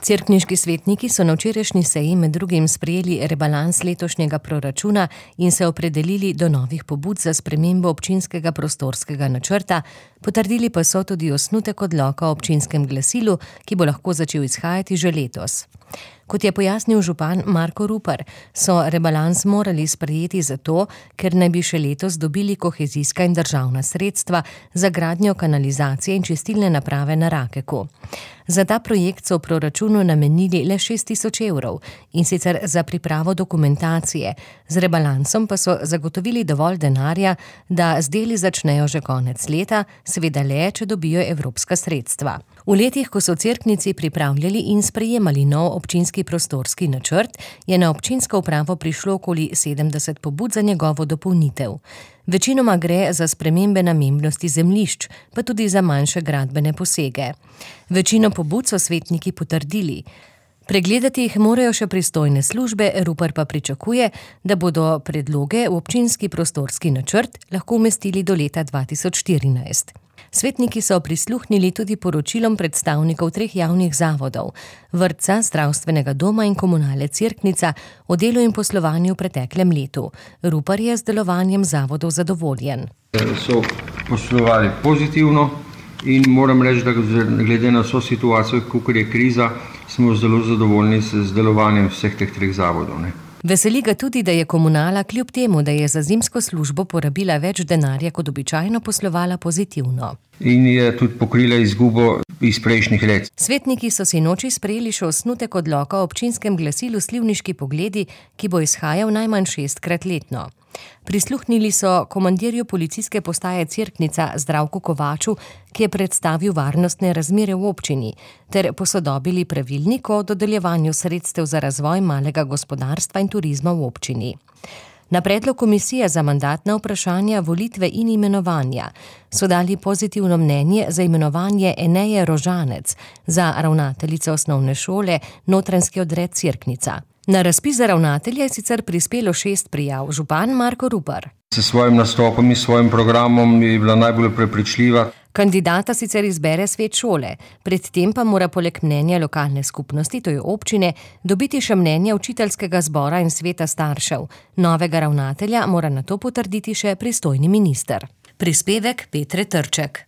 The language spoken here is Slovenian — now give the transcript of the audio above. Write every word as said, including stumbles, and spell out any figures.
Cerkniški svetniki so na včerajšnji seji med drugim sprejeli rebalans letošnjega proračuna in se opredelili do novih pobud za spremembo občinskega prostorskega načrta, potrdili pa so tudi osnutek odloka o občinskem glasilu, ki bo lahko začel izhajati že letos. Kot je pojasnil župan Marko Rupar, so rebalans morali sprejeti zato, ker naj bi še letos dobili kohezijska in državna sredstva za gradnjo kanalizacije in čistilne naprave na Rakeku. Za ta projekt so v proračunu namenili le šest tisoč evrov, in sicer za pripravo dokumentacije, z rebalansom pa so zagotovili dovolj denarja, da z deli začnejo že konec leta, seveda le, če dobijo evropska sredstva. V letih, ko so v Cerknici pripravljali in sprejemali nov občinski prostorski načrt, je na občinsko upravo prišlo okoli sedemdeset pobud za njegovo dopolnitev. Večinoma gre za spremembe namembnosti zemljišč, pa tudi za manjše gradbene posege. Večino pobud so svetniki potrdili. Pregledati jih morajo še pristojne službe, Rupar pa pričakuje, da bodo predloge v občinski prostorski načrt lahko umestili do leta dva tisoč štirinajst. Svetniki so prisluhnili tudi poročilom predstavnikov treh javnih zavodov, vrtca, zdravstvenega doma in komunale Cerknica, o delu in poslovanju v preteklem letu. Rupar je z delovanjem zavodov zadovoljen. So poslovali pozitivno in moram reči, da glede na vso situacijo, kakor je kriza, smo zelo zadovoljni z delovanjem vseh teh treh zavodov, ne. Veseli ga tudi, da je komunala kljub temu, da je za zimsko službo porabila več denarja kot običajno, poslovala pozitivno. In je tudi pokrila izgubo iz prejšnjih let. Svetniki so si noči sprejeli še osnutek odloka o občinskem glasilu Slivniški pogledi, ki bo izhajal najmanj šestkrat letno. Prisluhnili so komandirju policijske postaje Cerknica Zdravku Kovaču, ki je predstavil varnostne razmere v občini, ter posodobili pravilnik o dodeljevanju sredstev za razvoj malega gospodarstva in turizma v občini. Na predlog komisije za mandatna vprašanja, volitve in imenovanja so dali pozitivno mnenje za imenovanje Eneje Rožanec za ravnateljico osnovne šole Notranjski odred Cerknica. Na razpis za ravnatelja je sicer prispelo šest prijav, župan Marko Rupar. S svojim nastopom in svojim programom je bila najbolj prepričljiva. Kandidata sicer izbere svet šole, predtem pa mora poleg mnenja lokalne skupnosti, to je občine, dobiti še mnenje učiteljskega zbora in sveta staršev. Novega ravnatelja mora nato potrditi še pristojni minister. Prispevek Petre Trček.